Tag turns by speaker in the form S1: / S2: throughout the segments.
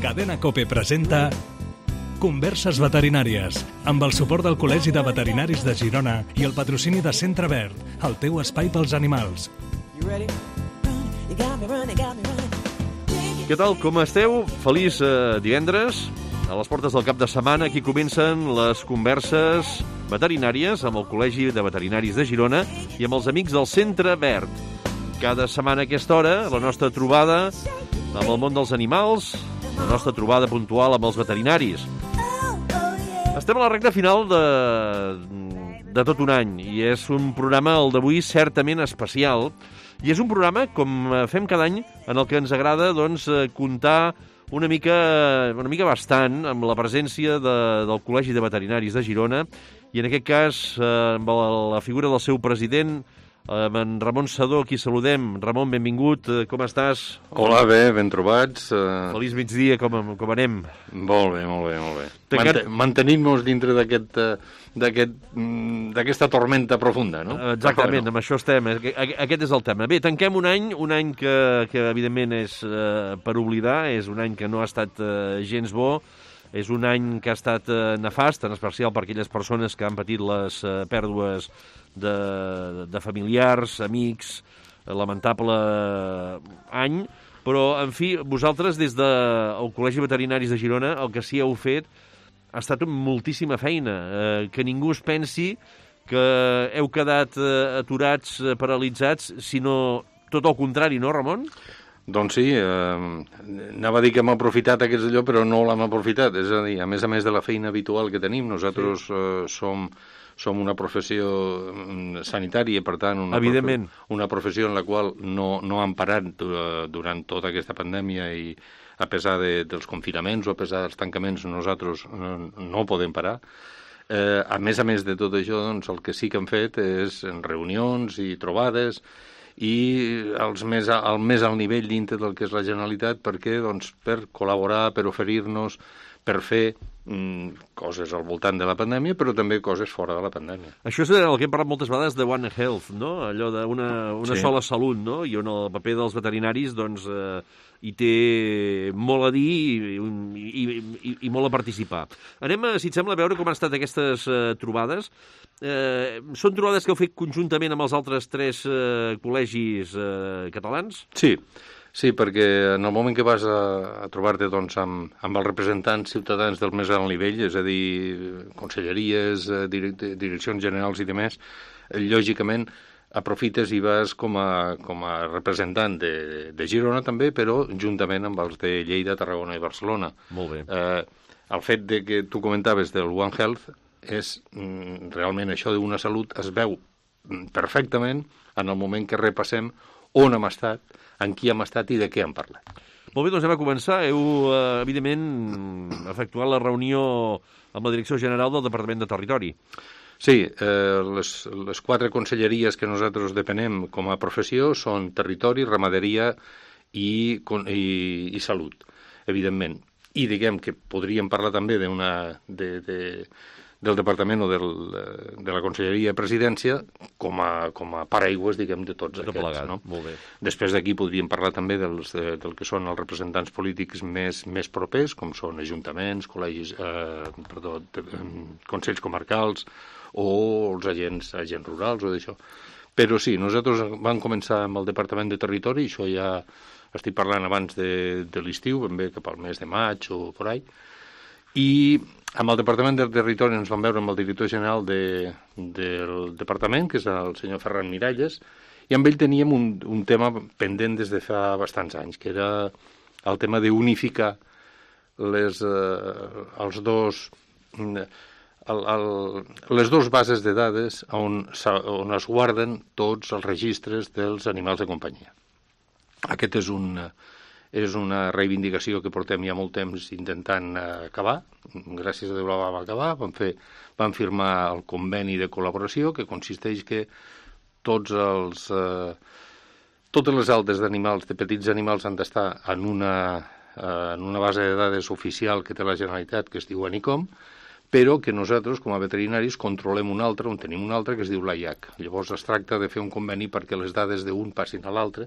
S1: Cadena COPE presenta Converses veterinàries, amb el suport del Col·legi de Veterinaris de Girona i el patrocini de Centre Verd, el teu espai pels animals.
S2: Què tal, com esteu? Feliç divendres. A les portes del cap de setmana, aquí comencen les converses veterinàries amb el Col·legi de Veterinaris de Girona i amb els amics del Centre Verd. Cada setmana a aquesta hora, la nostra trobada amb el món dels animals, la nostra trobada puntual amb els veterinaris. Estem a la recta final de tot un any i és un programa, el d'avui, certament especial. I és un programa, com fem cada any, en el que ens agrada comptar una mica bastant amb la presència del Col·legi de Veterinaris de Girona i en aquest cas amb la figura del seu president, amb en Ramon Sedó, qui saludem. Ramon, benvingut, com estàs?
S3: Hola, bé, ben trobats.
S2: Feliç migdia, com anem?
S3: Molt bé. Mantenim-nos dintre d'aquesta tormenta profunda, no?
S2: Exactament, amb això estem. Aquest és el tema. Bé, tanquem un any que evidentment és per oblidar, és un any que no ha estat gens bo, és un any que ha estat nefast, en especial per aquelles persones que han patit les pèrdues de familiars, amics, lamentable any, però, en fi, vosaltres des del Col·legi de Veterinaris de Girona el que sí heu fet ha estat moltíssima feina, que ningú es pensi que heu quedat aturats, paralitzats, sinó tot el contrari, no, Ramon?
S3: Doncs sí, anava a dir que hem aprofitat aquest allò, però no l'hem aprofitat. És a dir, a més de la feina habitual que tenim, nosaltres som una professió sanitària, per tant, una professió en la qual no hem parat durant tota aquesta pandèmia i a pesar dels confinaments o a pesar dels tancaments nosaltres no podem parar. A més de tot això, doncs, el que sí que hem fet és reunions i trobades i al més alt nivell dintre del que és la Generalitat per col·laborar, per oferir-nos, per fer coses al voltant de la pandèmia, però també coses fora de la pandèmia.
S2: Això és el que hem parlat moltes vegades de One Health, no? Allò d'una sola salut, no? I on el paper dels veterinaris hi té molt a dir i molt a participar. Anem, si et sembla, a veure com han estat aquestes trobades. Són trobades que heu fet conjuntament amb els altres 3 col·legis catalans?
S3: Sí, perquè en el moment que vas a trobar-te amb els representants ciutadans del més alt nivell, és a dir, conselleries, direccions generals i demés, lògicament aprofites i vas com a representant de Girona també, però juntament amb els de Lleida, Tarragona i Barcelona.
S2: Molt bé.
S3: El fet de que tu comentaves del One Health és realment això d'una salut es veu perfectament en el moment que repassem on hem estat, en qui hem estat i de què hem parlat.
S2: Molt bé, doncs anem a començar. Heu, evidentment, efectuat la reunió amb la Direcció General del Departament de Territori.
S3: Sí, les 4 conselleries que nosaltres depenem com a professió són Territori, Ramaderia i Salut, evidentment. I diguem que podríem parlar també del Departament o de la Conselleria de Presidència com a paraigües, diguem, de tots aquests.
S2: Plegat,
S3: no?
S2: Molt bé.
S3: Després d'aquí podríem parlar també del que són els representants polítics més propers, com són ajuntaments, consells comarcals o els agents rurals o d'això. Però sí, nosaltres vam començar amb el Departament de Territori, això ja estic parlant abans de l'estiu, ben bé cap al mes de maig o por ahí, i amb el Departament de Territori ens vam veure amb el director general del departament, que és el senyor Ferran Miralles, i amb ell teníem un tema pendent des de fa bastants anys, que era el tema d'unificar les dues bases de dades on es guarden tots els registres dels animals de companyia. Aquest és una reivindicació que portem ja molt temps intentant acabar. Gràcies a Déu la vam acabar. Vam firmar el conveni de col·laboració, que consisteix que totes les altes d'animals, de petits animals, han d'estar en una base de dades oficial que té la Generalitat, que es diu ANICOM, però que nosaltres, com a veterinaris, controlem una altra, on tenim una altra, que es diu l'AIAC. Llavors es tracta de fer un conveni perquè les dades d'un passin a l'altre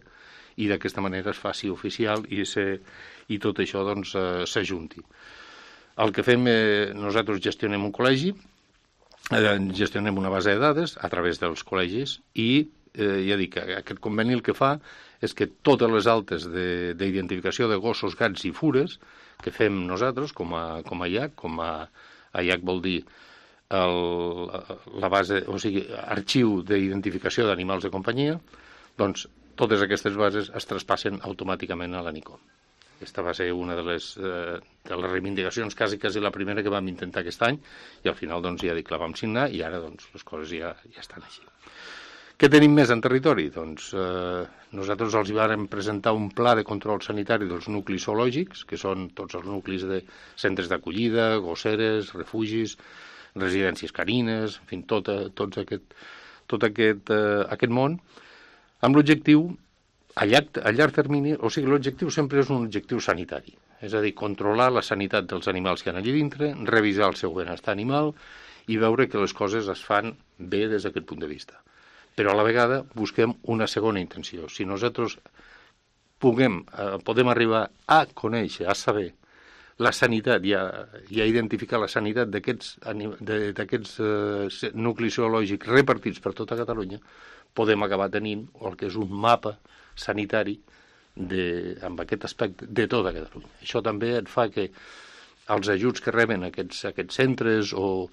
S3: i d'aquesta manera es faci oficial i tot això doncs s'ajunti. El que fem, nosaltres gestionem un col·legi, gestionem una base de dades a través dels col·legis i ja dic, aquest conveni el que fa és que totes les altes d'identificació de gossos, gats i fures que fem nosaltres com a IAC, IAC vol dir la base, o sigui, arxiu d'identificació d'animals de companyia, doncs totes aquestes bases es traspassen automàticament a l'ANICOM. Aquesta va ser una de les reivindicacions, quasi la primera que vam intentar aquest any, i al final doncs, ja dic, la vam signar i ara doncs, les coses ja estan així. Què tenim més en territori? Doncs nosaltres els vàrem presentar un pla de control sanitari dels nuclis zoològics, que són tots els nuclis de centres d'acollida, gosseres, refugis, residències canines, en fi, tot aquest món, amb l'objectiu, a llarg termini, o sigui, l'objectiu sempre és un objectiu sanitari, és a dir, controlar la sanitat dels animals que hi ha allà dintre, revisar el seu benestar animal i veure que les coses es fan bé des d'aquest punt de vista. Però a la vegada busquem una segona intenció. Si nosaltres podem arribar a conèixer, a saber la sanitat i a identificar la sanitat d'aquests nuclis zoològics repartits per tota Catalunya, podem acabar tenint el que és un mapa sanitari amb aquest aspecte de tota Catalunya. Això també et fa que els ajuts que reben aquests centres o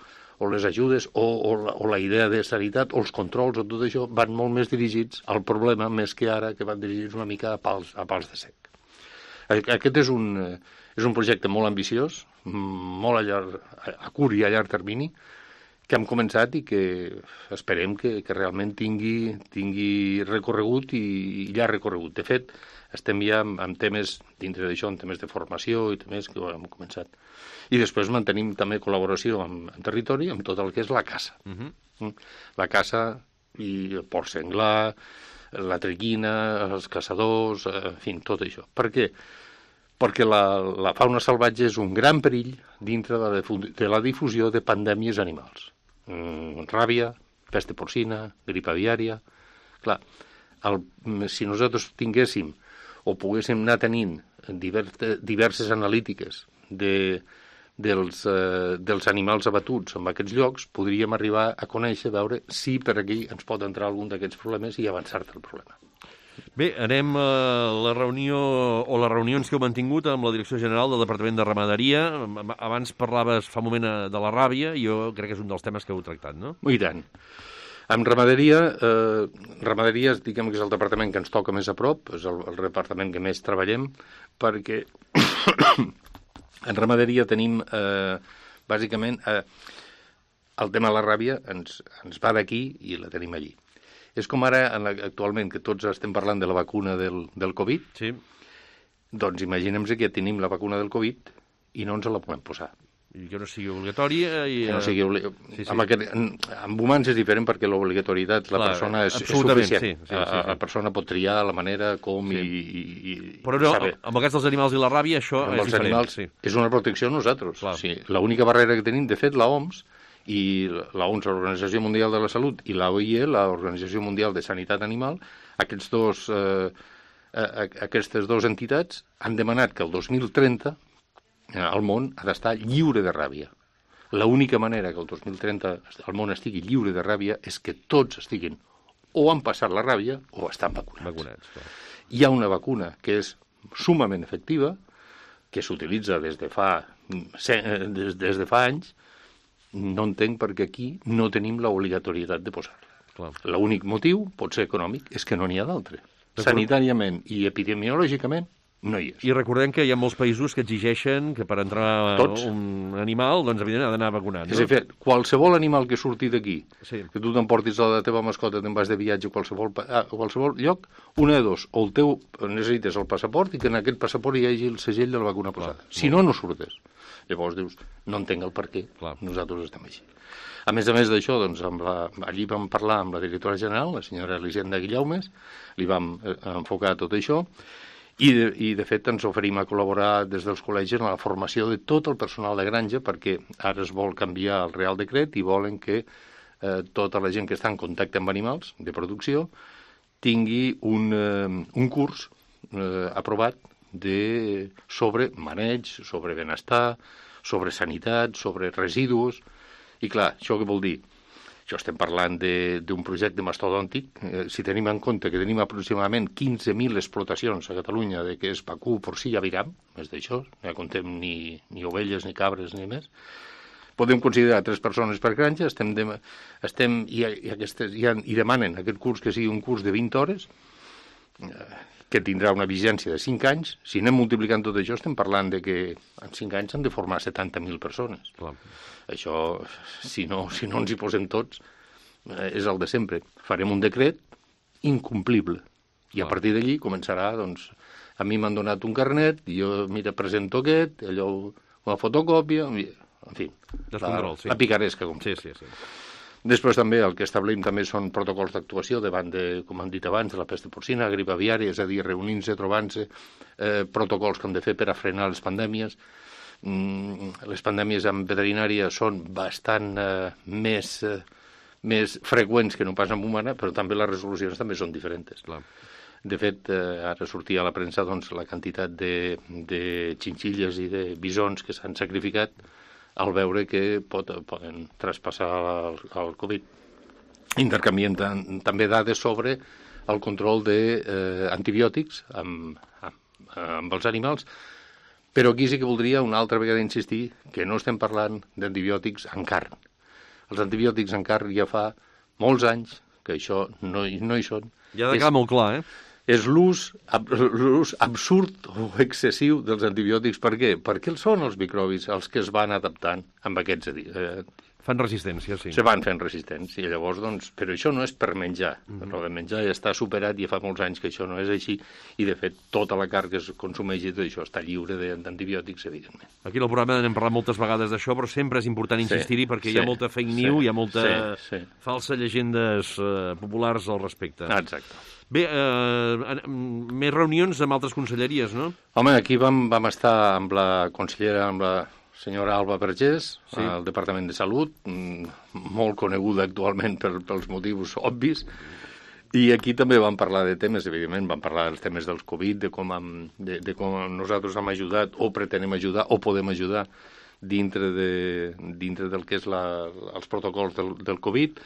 S3: les ajudes o la idea de sanitat o els controls o tot això van molt més dirigits al problema més que ara que van dirigits una mica a pals de sec. Aquest és un projecte molt ambiciós, molt a curt i a llarg termini, que hem començat i que esperem que realment tingui recorregut i llarg recorregut. De fet, estem ja amb temes, dintre d'això, en temes de formació i temes que hem començat. I després mantenim també col·laboració amb territori, amb tot el que és la caça. La caça i el porc senglar, la trequina, els caçadors, en fi, tot això. Per què? Perquè la fauna salvatge és un gran perill dintre de la difusió de pandèmies animals. Ràbia, pesta porcina, grip aviària. Clar, si nosaltres tinguéssim o poguéssim anar tenint diverses analítiques dels animals abatuts en aquests llocs, podríem arribar a conèixer, veure si per aquí ens pot entrar algun d'aquests problemes i avançar-te el problema.
S2: Bé, anem a la reunió o les reunions que heu mantingut amb la Direcció General del Departament de Ramaderia. Abans parlaves fa un moment de la ràbia, i jo crec que és un dels temes que heu tractat, no?
S3: I tant. Amb ramaderia, diguem que és el departament que ens toca més a prop, és el departament que més treballem, perquè en ramaderia tenim, bàsicament, el tema de la ràbia ens va d'aquí i la tenim allí. És com ara, actualment, que tots estem parlant de la vacuna del Covid.
S2: Sí.
S3: Doncs imaginem que tenim la vacuna del Covid i no ens la podem posar.
S2: I que no sigui obligatòria.
S3: Que no sigui sí. Amb humans és diferent perquè l'obligatorietat, la persona és suficient. Sí. La persona pot triar la manera com i
S2: però no, amb el cas dels animals i la ràbia, això és diferent.
S3: Animals, és una protecció a nosaltres. Sí, l'única barrera que tenim, de fet, l'OMS, i l'OMS, l'Organització Mundial de la Salut, i l'OIE, l'Organització Mundial de Sanitat Animal, aquestes dues entitats han demanat que el 2030 el món ha d'estar lliure de ràbia. L'única manera que el 2030 el món estigui lliure de ràbia és que tots estiguin o han passat la ràbia o estan vacunats. Hi ha una vacuna que és sumament efectiva, que s'utilitza des de fa anys. No entenc perquè aquí no tenim l'obligatorietat de posar-la. L'únic motiu pot ser econòmic, és que no n'hi ha d'altre. Sanitàriament i epidemiològicament no hi és.
S2: I recordem que hi ha molts països que exigeixen que per entrar un animal, doncs evidentment ha d'anar vacunat.
S3: És a dir, qualsevol animal que surti d'aquí, que tu t'emportis a la teva mascota, te'n vas de viatge a qualsevol lloc, una de dos, o el teu necessites el passaport i que en aquest passaport hi hagi el segell de la vacuna posada. Si no, no surtes. Llavors dius, no entenc el per què, nosaltres estem així. A més d'això, doncs, allí vam parlar amb la directora general, la senyora Elisenda Guillaumes, li vam enfocar tot això, i de fet ens oferim a col·laborar des dels col·legis en la formació de tot el personal de granja, perquè ara es vol canviar el Real Decret i volen que tota la gent que està en contacte amb animals de producció tingui un curs aprovat sobre maneig, sobre benestar, sobre sanitat, sobre residus. I clar, això què vol dir? Això estem parlant d'un projecte mastodòntic. Si tenim en compte que tenim aproximadament 15.000 explotacions a Catalunya de que és vacú, porcí i aviram, més d'això, no contem ni ovelles, ni cabres, ni més, podem considerar 3 persones per granja, i demanen aquest curs que sigui un curs de 20 hores, que tindrà una vigència de 5 anys. Si anem multiplicant tot això, estem parlant de que en 5 anys s'han de formar 70.000 persones. Clar. Això, si no ens hi posem tots, és el de sempre. Farem un decret incomplible. I a partir d'allí començarà, doncs, a mi m'han donat un carnet, i jo, mira, presento aquest, allò, una fotocòpia, en fi, la picaresca. Sí. Després també el que establim també són protocols d'actuació davant de, com han dit abans, de la pesta porcina, grip aviària, és a dir, reunint-se, trobant-se, protocols que hem de fer per a frenar les pandèmies. Les pandèmies en veterinària són bastant més freqüents que no pas en humana, però també les resolucions també són diferents. Clar. De fet, ara sortia a la premsa doncs, la quantitat de xinxilles i de bisons que s'han sacrificat al veure que poden traspassar el Covid. Intercanviem també dades sobre el control d'antibiòtics amb els animals, però aquí sí que voldria una altra vegada insistir que no estem parlant d'antibiòtics en carn. Els antibiòtics en carn ja fa molts anys que això no hi són.
S2: Ja ha de quedar molt clar,
S3: És l'ús absurd o excessiu dels antibiòtics. Per què? Perquè són els microbis els que es van adaptant amb aquests...
S2: Fan resistència, sí.
S3: Se van fent resistents, i llavors, doncs... Però això no és per menjar. Però de menjar ja està superat, i fa molts anys que això no és així, i de fet tota la carn que es consumeix i tot això està lliure d'antibiòtics, evidentment.
S2: Aquí al programa n'hem parlat moltes vegades d'això, però sempre és important insistir-hi perquè hi ha molta fake news, hi ha molta falsa llegendes populars al respecte.
S3: Exacte.
S2: Bé, més reunions amb altres conselleries, no?
S3: Home, aquí vam estar amb la consellera, amb la senyora Alba Vergés, al Departament de Salut, molt coneguda actualment pels motius obvis, i aquí també vam parlar de temes, evidentment, vam parlar dels temes dels Covid, de com nosaltres hem ajudat, o pretenem ajudar, o podem ajudar dintre del que és els protocols del Covid.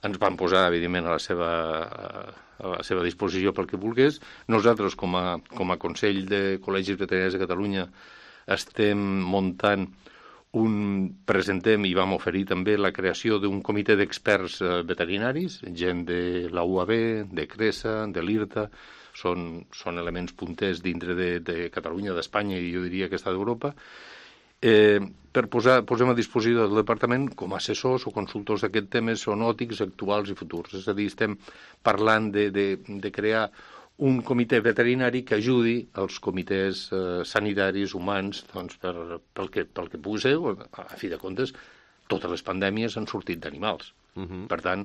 S3: Ens van posar, evidentment, a la seva disposició pel que volgués. Nosaltres, com a Consell de Col·legis Veterinaris de Catalunya, estem muntant presentem i vam oferir també la creació d'un comitè d'experts veterinaris, gent de la UAB, de CRESA, de l'IRTA, són elements punters dintre de Catalunya, d'Espanya i jo diria que està d'Europa, posem a disposició del Departament com a assessors o consultors d'aquests temes zoonòtics actuals i futurs. És a dir, estem parlant de crear un comitè veterinari que ajudi els comitès sanitaris humans doncs, pel que pugui ser. A fi de comptes, totes les pandèmies han sortit d'animals. Per tant,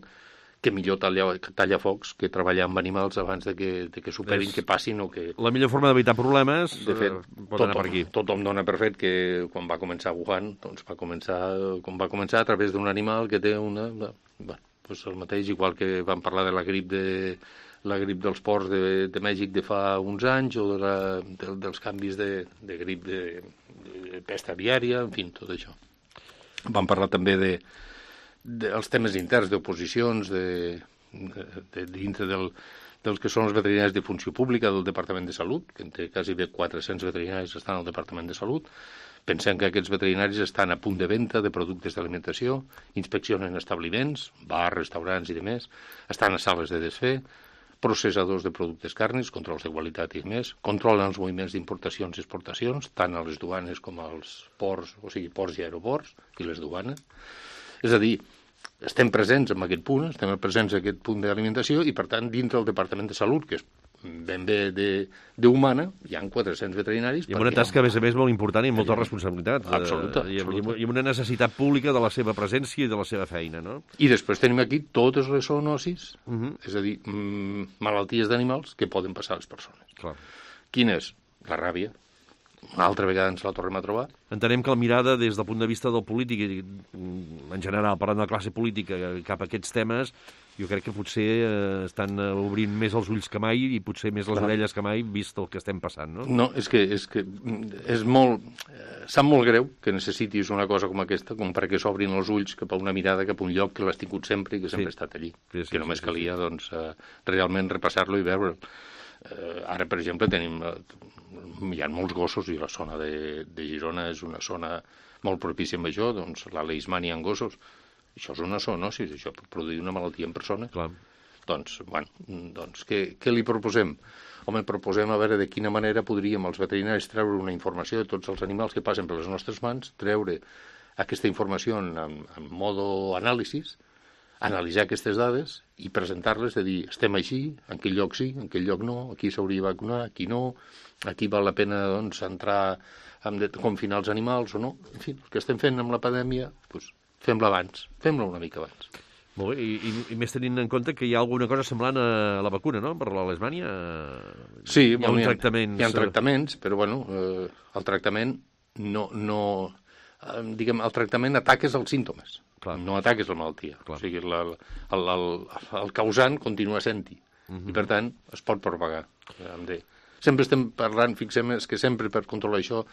S3: que millor tallafocs que treballar amb animals abans de que superin, que passin o que...
S2: La millor forma d'evitar problemes pot anar per aquí.
S3: Tothom dona per fet que quan va començar Wuhan, doncs va començar a través d'un animal que té una... doncs el mateix, igual que vam parlar de la grip dels porcs de Mèxic de fa uns anys, o dels canvis de grip de pesta aviària, en fi, tot això. Vam parlar també dels temes interns d'oposicions dintre dels que són els veterinaris de funció pública del Departament de Salut, que en té quasi 400 veterinaris que estan al Departament de Salut. Pensem que aquests veterinaris estan a punt de venda de productes d'alimentació, inspeccionen establiments, bars, restaurants i demés, estan a sales de desfer, processadors de productes càrnics, controls de qualitat i més, controlen els moviments d'importacions i exportacions, tant a les duanes com als ports, o sigui, ports i aeroports, i les duanes. És a dir, estem presents en aquest punt, estem presents en aquest punt d'alimentació, i per tant, dintre del Departament de Salut, que és ben bé d'humana, hi ha 400 veterinaris.
S2: I amb una tasca, a més, molt important i amb molta responsabilitat.
S3: Absoluta.
S2: I amb una necessitat pública de la seva presència i de la seva feina, no?
S3: I després tenim aquí totes les zoonosis, és a dir, malalties d'animals que poden passar a les persones.
S2: Clar.
S3: Quina és? La ràbia. una altra vegada ens la tornem a trobar.
S2: Entenem que la mirada des del punt de vista del polític, en general, parlant de la classe política, cap a aquests temes, jo crec que potser estan obrint més els ulls que mai i potser més les orelles que mai, vist el que estem passant, no?
S3: No, és que és molt... Sap molt greu que necessitis una cosa com aquesta, com perquè s'obrin els ulls cap a una mirada, cap a un lloc que l'has tingut sempre i que sempre ha estat allí.
S2: Sí,
S3: que només calia, doncs, realment repassar-lo i veure'l. Ara, per exemple, hi ha molts gossos i la zona de Girona és una zona molt propícia amb això, doncs la leishmania en gossos. Això és una zoonosi, això pot produir una malaltia en persona.
S2: Clar.
S3: Doncs, què li proposem? Home, proposem a veure de quina manera podríem els veterinaris treure una informació de tots els animals que passen per les nostres mans, treure aquesta informació en modo anàlisis, analitzar aquestes dades i presentar-les, de dir, estem així, en aquell lloc sí, en aquell lloc no, aquí s'hauria de vacunar, aquí no, aquí val la pena doncs, entrar a confinar els animals o no. En fi, el que estem fent amb la pandèmia, doncs, fem-la abans, fem-la una mica abans.
S2: Molt bé, i més tenint en compte que hi ha alguna cosa semblant a la vacuna, no?, per la leishmania.
S3: Sí,
S2: hi ha tractaments...
S3: Hi ha tractaments, però bueno, el tractament diguem, el tractament ataques els símptomes, no ataques la malaltia. Clar. O sigui, el causant continua sent-hi, i per tant es pot propagar. Sempre estem parlant, fixem, és que sempre per controlar això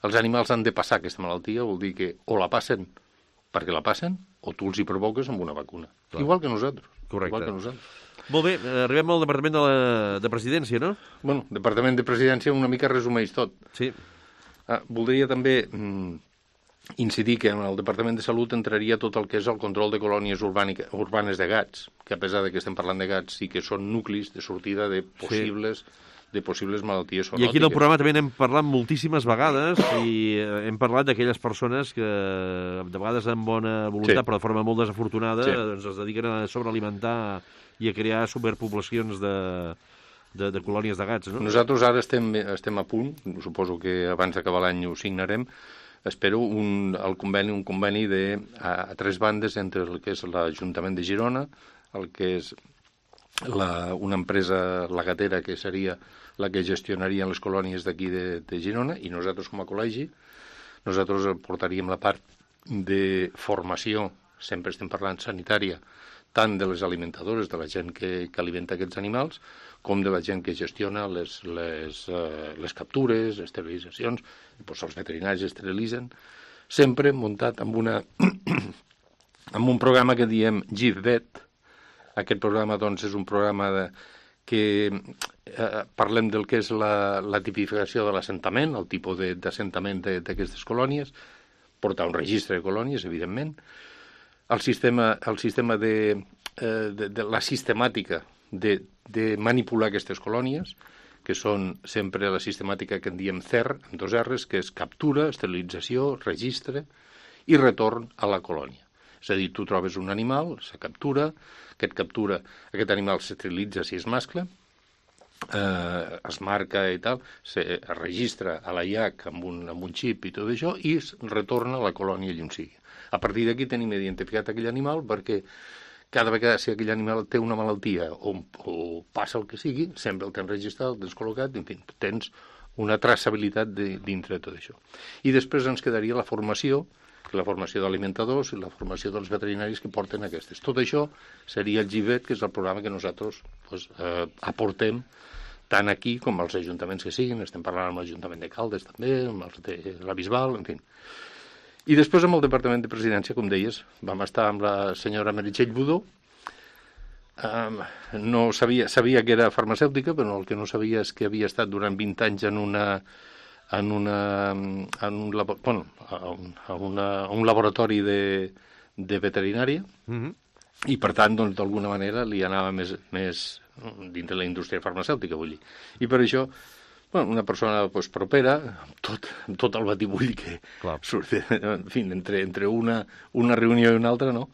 S3: els animals han de passar aquesta malaltia, vol dir que o la passen perquè la passen, o tu els hi provoques amb una vacuna. Clar. Igual que nosaltres.
S2: Correcte.
S3: Igual que nosaltres.
S2: Molt bé, arribem al Departament de Presidència, no?
S3: Bueno, Departament de Presidència una mica resumeix tot.
S2: Sí.
S3: Voldria també incidir que en el Departament de Salut entraria tot el que és el control de colònies urbanes de gats, que a pesar de que estem parlant de gats, sí que són nuclis de sortida de possibles malalties zoonòtiques.
S2: I aquí en el programa també n'hem parlat moltíssimes vegades i hem parlat d'aquelles persones que de vegades amb bona voluntat, però de forma molt desafortunada, doncs es dediquen a sobrealimentar i a crear superpoblacions de colònies de gats, no?
S3: Nosaltres ara estem a punt, suposo que abans d'acabar l'any ho signarem, espero un conveni a 3 bandes entre el que és l'Ajuntament de Girona, el que és una empresa lagatera que seria la que gestionaria les colònies d'aquí de Girona, i nosaltres com a col·legi, nosaltres portaríem la part de formació, sempre estem parlant sanitària, tant de les alimentadores, de la gent que alimenta aquests animals, com de la gent que gestiona les captures, esterilitzacions, doncs els veterinaris esterilitzen, sempre muntat amb amb un programa que diem GIVVET. Aquest programa doncs, és un programa que parlem del que és la tipificació de l'assentament, el tipus d'assentament d'aquestes colònies, portar un registre de colònies, evidentment, el sistema de la sistemàtica de manipular aquestes colònies, que són sempre la sistemàtica que en diem CER, amb 2 R's, que és captura, esterilització, registre i retorn a la colònia. És a dir, tu trobes un animal, se captura, aquest animal s'esterilitza si és mascle, es marca i tal, es registra a la IAC amb un xip i tot això, i es retorna a la colònia allà on sigui. A partir d'aquí tenim identificat aquell animal perquè cada vegada si aquell animal té una malaltia o passa el que sigui, sempre el tens registrat, el tens col·locat, en fi, tens una traçabilitat dintre de tot això. I després ens quedaria la formació d'alimentadors i la formació dels veterinaris que porten aquestes. Tot això seria el GIVVET, que és el programa que nosaltres aportem tant aquí com als ajuntaments que siguin. Estem parlant amb l'Ajuntament de Caldes també, amb els de la Bisbal, en fi. I després amb el Departament de Presidència, com deies, vam estar amb la senyora Meritxell Budó. No sabia que era farmacèutica, però el que no sabia és que havia estat durant 20 anys a un laboratori de veterinària, i per tant, doncs, d'alguna manera li anava més dintre la indústria farmacèutica, vull dir. I per això, una persona propera, amb tot el batibull que surt, en fi, entre una reunió i una altra, no?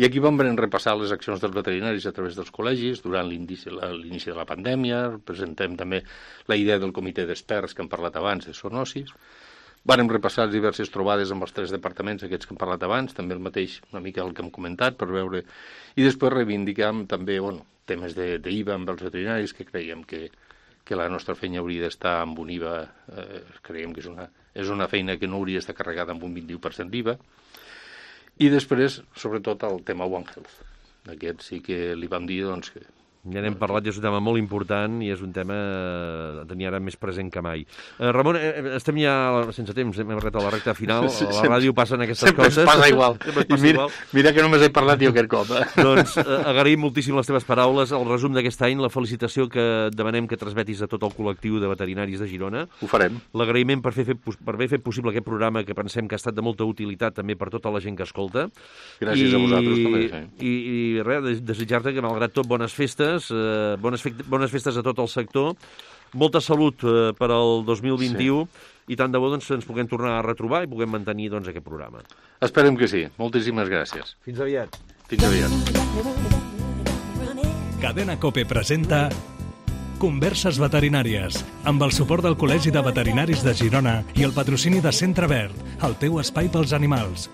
S3: I aquí vam repassar les accions dels veterinaris a través dels col·legis durant l'inici de la pandèmia. Presentem també la idea del comitè d'experts que hem parlat abans de zoonosis. Vàrem repassar diverses trobades amb els 3 departaments aquests que hem parlat abans, també el mateix una mica el que hem comentat per veure, i després reivindicam també temes d'IVA amb els veterinaris, que creiem que que la nostra feina hauria d'estar amb un IVA, creiem que és una feina que no hauria d'estar carregada amb un 21% d'IVA. I després, sobretot, el tema One Health. Aquest sí que li vam dir, doncs, que
S2: ja n'hem parlat, és un tema molt important i és un tema a tenir ara més present que mai. Ramon, estem ja sense temps, hem arribat a la recta final, a la ràdio passen aquestes coses.
S3: Sempre passa igual. Mira que només he parlat jo aquest cop.
S2: Doncs agraïm moltíssim les teves paraules, el resum d'aquest any, la felicitació que demanem que transmetis a tot el col·lectiu de veterinaris de Girona.
S3: Ho farem.
S2: L'agraïment per haver fet possible aquest programa que pensem que ha estat de molta utilitat també per tota la gent que escolta.
S3: Gràcies a vosaltres també. Sí.
S2: I res, desitjar-te que malgrat tot bones festes, bones festes a tot el sector, molta salut per al 2021 i tant de bo doncs, ens puguem tornar a retrobar i puguem mantenir doncs, aquest programa.
S3: Esperem que sí. Moltíssimes gràcies.
S2: Fins aviat.
S3: Fins aviat.
S1: Cadena COPE presenta Converses veterinàries, amb el suport del Col·legi de Veterinaris de Girona i el patrocini de Centre Verd, el teu espai pels animals.